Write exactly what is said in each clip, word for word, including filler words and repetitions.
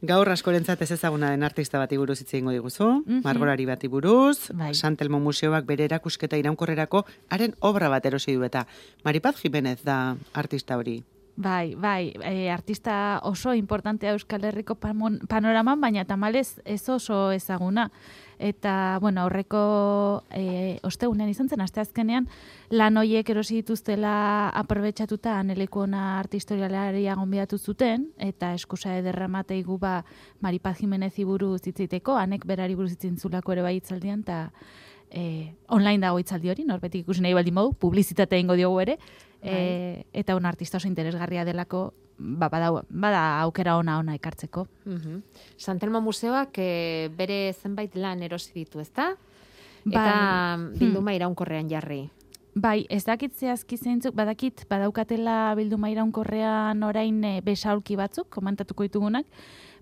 Gaur askorentzat ez ezaguna den artista bati buruz hitz egingo diguzu, Mhm. margolari bati buruz, Bai. Santelmo Museoak bere erakusketa iraunkorrerako haren obra bat erosi du eta Maripaz Jimenez da artista hori. Bai, bai, e, artista oso importantea Euskal Herriko pamon- panoraman, baina tamalez ez oso ezaguna. Eta, bueno, aurreko e, ostegunean izan zen, asteazkenean, lan hoiek erosi dituztela aprobetxatuta aneleku ona artistorialaria gonbidatu zuten, eta eskusa ederra mateigu ba Maripaz Jimenezi buruz hitziteko, anek berari buruz hitzintzulako ere bai hitzaldian, eta e, online dago hitzaldi hori, norbetik ikusi nahi baldin modu, publizitatea ingo diogu ere, e, eta un artista oso interesgarria delako, ba, bada, bada aukera ona ona ekartzeko. Mhm. Santelmo Museoak e, bere zenbait lan erosi ditu, ezta? Eta Bai. bilduma iraunkorrean jarri. Bai, ez dakit zehazki zeintzuk, badakit, badaukatela bilduma iraunkorrean orain e, besaulki batzuk, komentatuko ditugunak,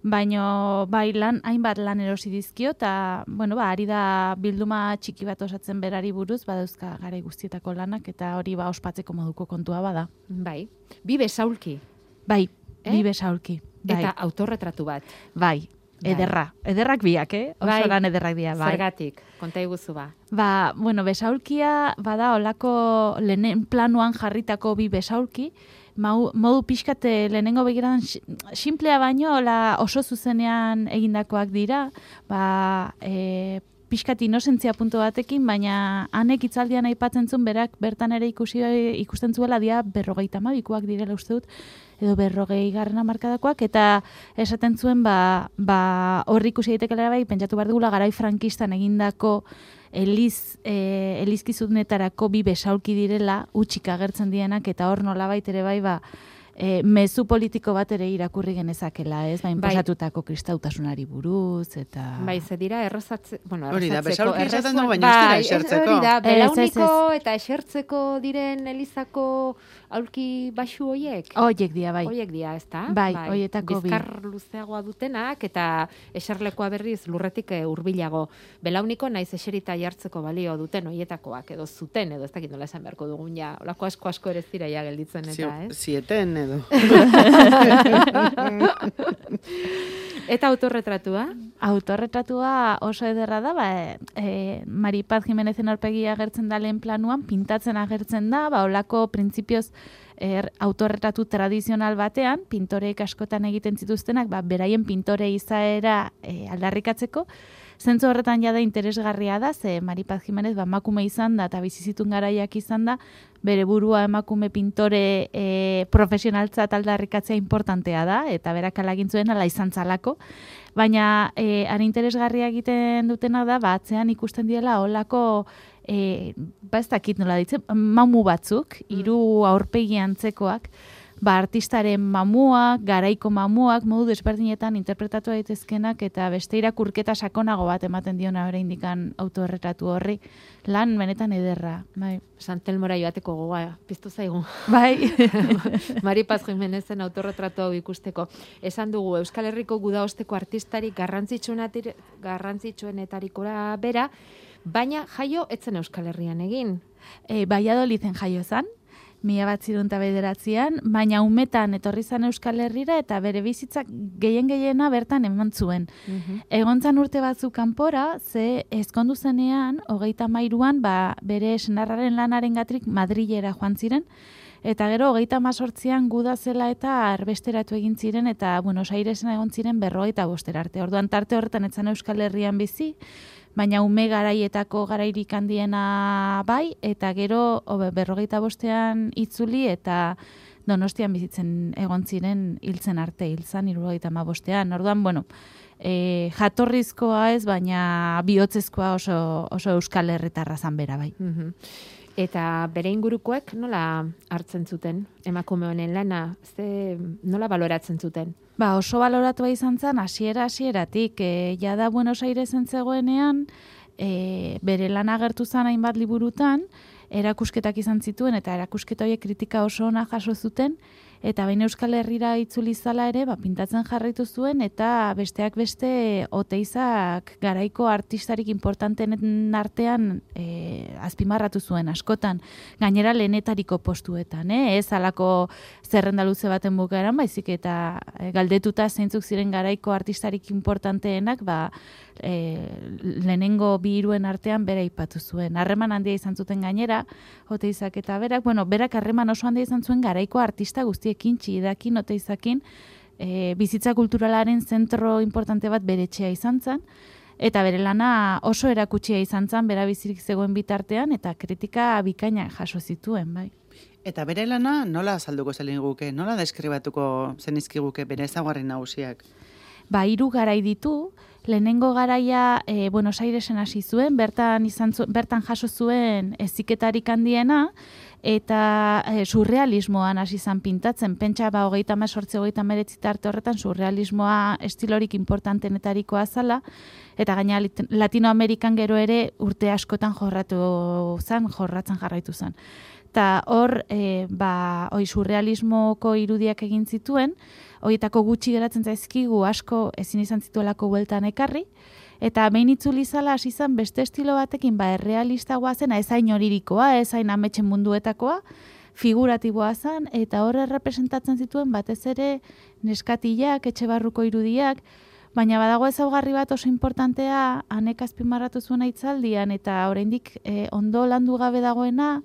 baino bai lan, hainbat lan erosi dizkio, eta, bueno, ba, ari da bilduma txiki bat osatzen berari buruz, badauzka garai guztietako lanak, eta hori ba ospatzeko moduko kontua bada. Bai. Bi besaulki. Bai, Eh? bi besaulki. Bai, Eta autorretratu bat. bai, ederra. Ederrak biak, eh? Oso Bai. lan ederrak dira, bai. Zergatik, konta iguzu ba. Ba, bueno, besaulkia bada olako lehen planuan jarritako bi besaulki, mau, modu pixkate lehenengo begiradan simplea baino ola oso zuzenean egindakoak dira, ba, e, pixkat inozentzia puntu batekin, baina hanek hitzaldian aipatzen zuen berak bertan ere ikusi ikusten zuela dia berrogeita hamabikoak direla uste dut, edo berrogei garren hamarkadakoak, eta esaten zuen ba, ba horri ikusi daitekela bai, pentsatu behar dugula garai frankistan egindako eliz, e, elizkizunetarako bi besaulki direla, utxik agertzen dienak, eta hor nolabait ere bai, ba, e, mezu politiko bat ere irakurri genezakela, ez? Ba, inposatutako kristautasunari buruz, eta... Bai, ze dira errezatze, bueno, Hori da, errezatzeko, besaulki esaten errezuan- du, baina ez dira bai, esertzeko. Hori da, Ez, ez, belauniko ez. eta esertzeko diren elizako aulki baxu hoiek. Hoiek dira, bai. Hoiek dira, ezta? Bai, hoietako bi. Bizkar luzeagoa dutenak eta eserlekoa berriz lurretik eh, hurbilago. Belauniko naiz eserita jartzeko balio duten hoietakoak edo zuten edo ez dakit nola esan beharko dugun ja. Olako asko asko ere ez dira ja gelditzen eta, Zio- ez? Zieten edo. Eta autorretratua? Autorretratua oso ederra da, ba, e, Maripaz Jimenezen aurpegia agertzen da lehen planuan, pintatzen agertzen da, ba, olako printzipioz er, autorretratu tradizional batean, pintoreek askotan egiten zituztenak, ba, beraien pintore izaera e, aldarrikatzeko, zentzu horretan jada interesgarria da, ze Maripaz Jimenez ba, emakume izan da, eta bizizitun garaiak izan da, bere burua emakume pintore e, profesionaltzat aldarrikatzea importantea da, eta berak ala egin zuen ala izan zalako. Baina e, han interesgarria egiten dutena da, ba, atzean ikusten diela olako, e, ba ez dakit nola ditzen, mamu batzuk, hiru aurpegi antzekoak, ba, artistaren mamuak, garaiko mamuak, modu desberdinetan interpretatu daitezkenak eta beste irakurketa sakonago bat ematen diona oraindikan autorretratu horri. Lan benetan ederra, bai. Santelmora joateko gogoa piztu zaigu. Bai. Maripaz Jimenezen autorretratu hau ikusteko. Esan dugu Euskal Herriko gudaosteko artistarik garrantzitsuenatir- garrantzitsuenetarikora bera, baina jaio etzen Euskal Herrian egin. E, Valladoliden jaio zan, mila bat zirunta bederatzean, baina umetan etorri zan Euskal Herrira eta bere bizitzak gehien gehiena bertan eman zuen. Egon zan urte batzuk kanpora, ze ezkondu zenean, hogeita mairuan, ba, bere senarraren lanaren gatrik Madrilera joan ziren, eta gero hogeita mazortzian guda zela eta arbesteratu egin ziren, eta Buenos Airesen egon ziren berrogeita bostera arte. Orduan tarte horretan etzan Euskal Herrian bizi, baina ume garaietako garairik handiena bai, eta gero obe, berrogeita bostean itzuli eta Donostian bizitzen egon ziren hiltzen arte, hiltzan hirurogeita hamabostean. Orduan, bueno, e, jatorrizkoa ez, baina bihotzezkoa oso, oso Euskal Herritarra zan bera bai. Mhm. Eta bere ingurukoek nola hartzen zuten emakume honen lana, ze nola baloratzen zuten? Ba, oso baloratua izan zen, hasiera hasieratik, e, jada Buenos Airesen zegoenean, e, bere lan agertu zen hainbat liburutan, erakusketak izan zituen, eta erakusketa horiek kritika oso ona jaso zuten, eta baina Euskal Herrira itzuli zala ere, ba, pintatzen jarraitu zuen, eta besteak beste Oteizak garaiko artistarik importantenen artean e, azpimarratu zuen askotan, gainera lehenetariko postuetan, eh? Ez alako zerrenda luze baten bukaeran, baizik eta e, galdetuta zeintzuk ziren garaiko artistarik importanteenak, ba, e, lehenengo bi hiruen artean bera aipatu zuen. Harreman handia izan zuten gainera, Oteizak eta berak, bueno, berak harreman oso handia izan zuen garaiko artista guztiekin, Txidakin, Oteizakin, e, bizitza kulturalaren zentro importante bat bere etxea izan zen, eta bere lana oso erakutsia izan zen, bera bizirik zegoen bitartean, eta kritika bikaina jaso zituen, bai. Eta bere lana nola azalduko zelin guke, nola deskribatuko zenizkiguke bere ezaugarri nagusiak? Ba, hiru garai ditu, lehenengo garaia e, Buenos Airesen hasi zuen, bertan, izan zu, bertan jaso zuen heziketarik handiena, eta e, surrealismoan hasi izan pintatzen, pentsa ba, hogeita hemezortzi, hogeita hemeretzi tarte horretan surrealismoa estilorik importantenetarikoa zala, eta gaina Latinoamerikan gero ere urte askotan jorratu zen, jorratzen jarraitu zen. Eta hor, e, ba, oi, surrealismoko irudiak egin zituen, horietako gutxi geratzen zaizkigu asko ezin izan zituelako bueltan ekarri, eta behin itzuli zala hasi izan beste estilo batekin, ba, errealistagoa zen, ez hain horirikoa, ez hain ametsen munduetakoa, figuratiboa zen, eta hor errepresentatzen zituen batez ere neskatilak, etxe barruko irudiak, baina badago ezaugarri bat oso importantea, hanek azpimarratu zuen hitzaldian, eta oraindik e, ondo landu gabe dagoena,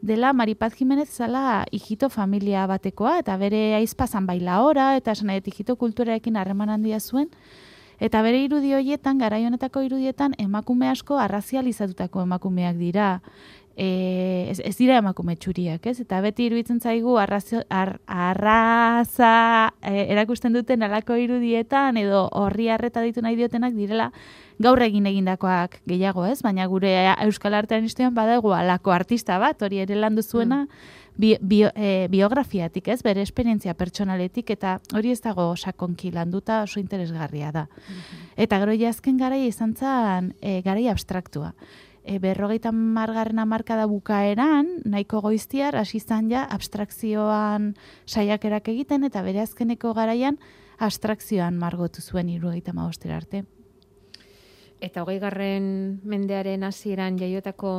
dela Mari Paz Jimenez zala hijito familia batekoa, eta bere aizpazan bailaora, eta esan nahi, hijito kulturarekin harreman handia zuen, eta bere irudi horietan, garai honetako irudietan, emakume asko arrazializatutako emakumeak dira, e, ez, ez dira emakume txuriak, ez? Eta beti iruditzen zaigu arrazio, ar, arraza e, erakusten duten alako irudietan, edo horri harreta ditu nahi diotenak direla, gaur egin egindakoak gehiago, ez? Baina gure Euskal Artean historian badago alako artista bat, hori ere landu zuena, bi, bio, e, biografiatik, ez? Bere esperientzia pertsonaletik, eta hori ez dago sakonki landuta oso interesgarria da. Mm-hmm. Eta gero jazken garai izan zen e, garai abstraktua. E, berrogeita margarren hamarkada bukaeran, nahiko goiztiar, hasi izan ja abstrakzioan saiakerak egiten, eta bere azkeneko garaian abstrakzioan margotu zuen hirurogeita hamabostera arte. Eta hogei garren mendearen hasieran jaiotako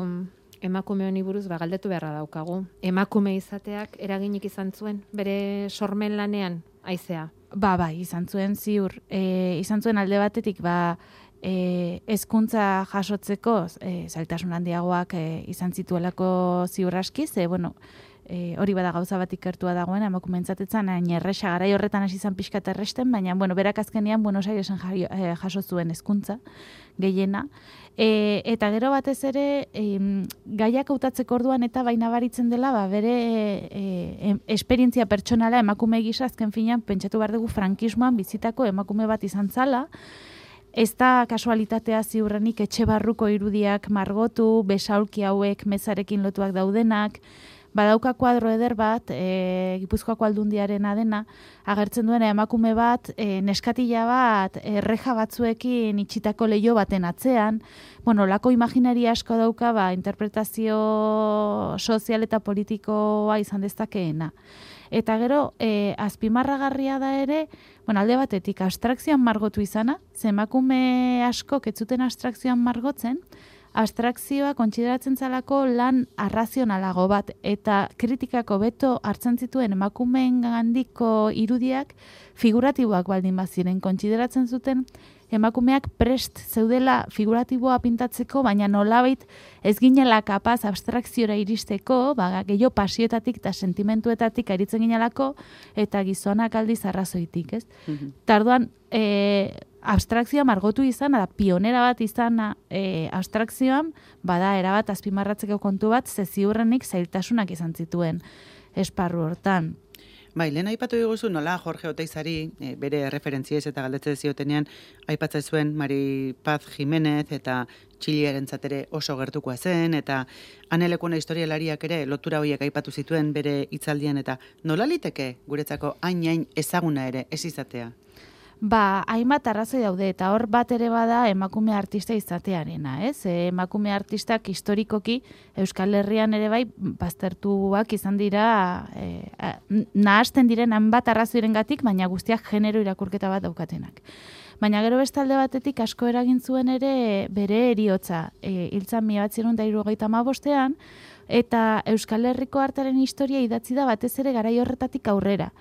emakume honi buruz ba, galdetu beharra daukagu. Emakume izateak eraginik izan zuen, bere sormen lanean, haizea? Ba, bai, izan zuen ziur. E, izan zuen alde batetik, ba, e, hezkuntza jasotzeko e, zailtasun handiagoak e, izan zituelako ziur aski, ze, bueno, E, hori bada gauza bat ikertua dagoen, emakumeentzatetzen, hain erresa, garai horretan hasi izan pixka erresten, baina, bueno, berak azkenean Buenos Airesen e, jaso zuen hezkuntza gehiena. E, eta gero batez ere, e, gaiak hautatzeko orduan eta baina baritzen dela, ba, bere e, esperientzia pertsonala emakume gisa azken finean, pentsatu behar dugu frankismoan bizitako emakume bat izan zala, ez da kasualitatea ziurrenik etxe barruko irudiak margotu, besaulki hauek mezarekin lotuak daudenak, badauka kuadro eder bat, e, Gipuzkoako aldundiarena dena, agertzen duena emakume bat, e, neskatila bat, erreja batzuekin itxitako leio baten atzean, bueno, lako imaginaria asko dauka, ba, interpretazio sozial eta politikoa izan dezakeena. Eta gero, e, azpimarragarria da ere, bueno, alde batetik abstrakzioan margotu izana, ze emakume asko ketzuten abstrakzioan margotzen, abstrakzioa kontsideratzen zalako lan arrazionalago bat, eta kritikako beto hartzen zituen emakumeen gandiko irudiak figuratiboak baldin baziren, kontsideratzen zuten emakumeak prest zeudela figuratiboa pintatzeko, baina nolabait ez ginela kapaz abstrakziora iristeko, ba, gehiago pasioetatik eta sentimentuetatik aritzen ginelako, eta gizonak aldiz arrazoitik, ez? Mm-hmm. Tarduan, e, abstrakzioa margotu izan, da pionera bat izan e, abstrakzioan, bada erabat azpimarratzeko kontu bat, ze ziurrenik zailtasunak izan zituen esparru hortan. Bai, lehen aipatu diguzu nola Jorge Oteizari e, bere referentziez eta galdetze ziotenean aipatzen zuen Mari Paz Jimenez eta Txiliaren zatere oso gertukoa zen, eta anelekuena historialariak ere lotura horiek aipatu zituen bere hitzaldian, eta nola liteke guretzako hain-hain ezaguna ere ez izatea? Ba, hainbat arrazoi daude, eta hor bat ere bada emakume artista izatearena, ez? E, emakume artistak historikoki Euskal Herrian ere bai baztertuak izan dira, e, nahasten diren hainbat arrazoirengatik, baina guztiak genero irakurketa bat daukatenak. Baina gero bestalde batetik asko eragin zuen ere bere eriotza, e, hiltzan mila bederatziehun eta hirurogeita hamabostean, eta Euskal Herriko artearen historia idatzi da batez ere garai horretatik aurrera.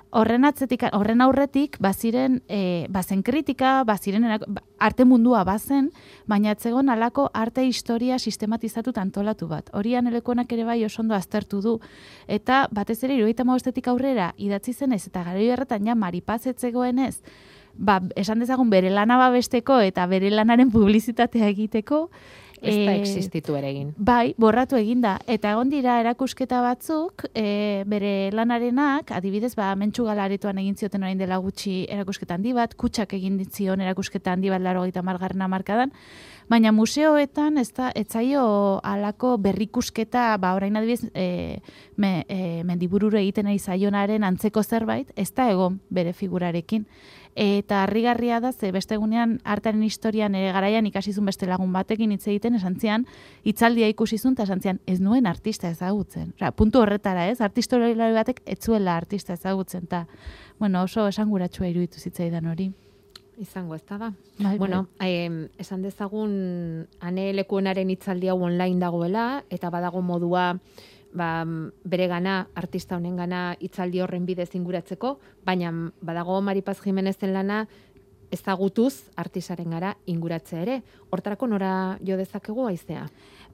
Horren atzetik, horren aurretik, baziren, e, bazen kritika, baziren arte mundua bazen, baina atzegon alako arte historia sistematizatu antolatu bat. Horian elekonak ere bai oso ondo aztertu du. Eta batez ere, hirurogeita hamabostetik aurrera idatzi zenez, eta garai horretan ja Maripaz ez zegoenez, ba, esan dezagun bere lana babesteko eta bere lanaren publizitatea egiteko, ez da existitu ere egin. Bai, borratu eginda. Eta egon dira erakusketa batzuk, e, bere lanarenak, adibidez, ba, Mentxu Galaretoan egin zioten orain dela gutxi erakusketa handi bat, Kutxak egin ditzion erakusketa handi bat laurogeita hamargarrena hamarkadan, baina museoetan ez da, etzaio alako berrikusketa, ba, orain adibidez, e, me, e, mendibururu egiten ari zaionaren antzeko zerbait, ez da egon bere figurarekin. Eta harrigarria da, ze beste egunean artaren historian ere garaian ikasizun beste lagun batekin hitz egiten, esan zian, hitzaldia ikusizun, eta esan zian, ez nuen artista ezagutzen. Osa, puntu horretara, ez? Artistorari batek ez zuela artista ezagutzen, eta, bueno, oso esanguratsua iruditu zitzaidan hori. Izango, ez da da. Bai, bueno, bai. Eh, esan dezagun, Ane Lekuonaren hitzaldi hau online dagoela, eta badago modua, ba, bere gana, artista honen gana hitzaldi horren bidez inguratzeko, baina badago Maripaz Jimenezen lana ezagutuz artisaren gara inguratzea ere. Hortarako nora jo dezakegu aizea?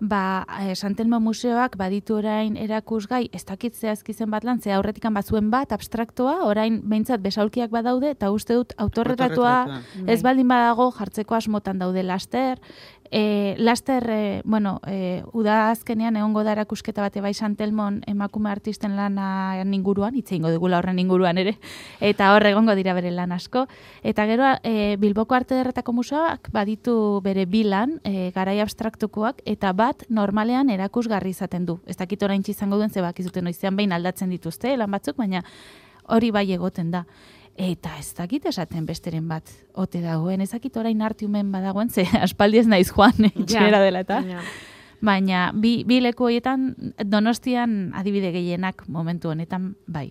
Ba, Santelmo Museoak baditu orain erakusgai, ez dakit zehazkizen bat lan, ze aurretikan bazuen bat, abstraktoa, orain behintzat besaulkiak badaude, eta uste dut autorretratua ez baldin badago jartzeko asmotan daude laster. E, laster, e, bueno, e, uda azkenean egongo da erakusketa bate bai Santelmon emakume artisten lana inguruan, hitz egingo dugula horren inguruan ere, eta hor egongo dira bere lan asko. Eta gero e, Bilboko Arte Ederretako Museoak baditu bere bilan, e, garai abstraktukoak, eta bat normalean erakusgarri izaten du. Ez dakit orain izango duen, zebak izuten noizean behin aldatzen dituzte, lan batzuk, baina hori bai egoten da. Eta ez dakit esaten besteren bat ote dagoen, ez dakit orain artiumen badagoen, ze aspaldi ez naiz joan etxera dela eta. Ja. Baina bi, bi leku horietan Donostian adibide gehienak momentu honetan bai.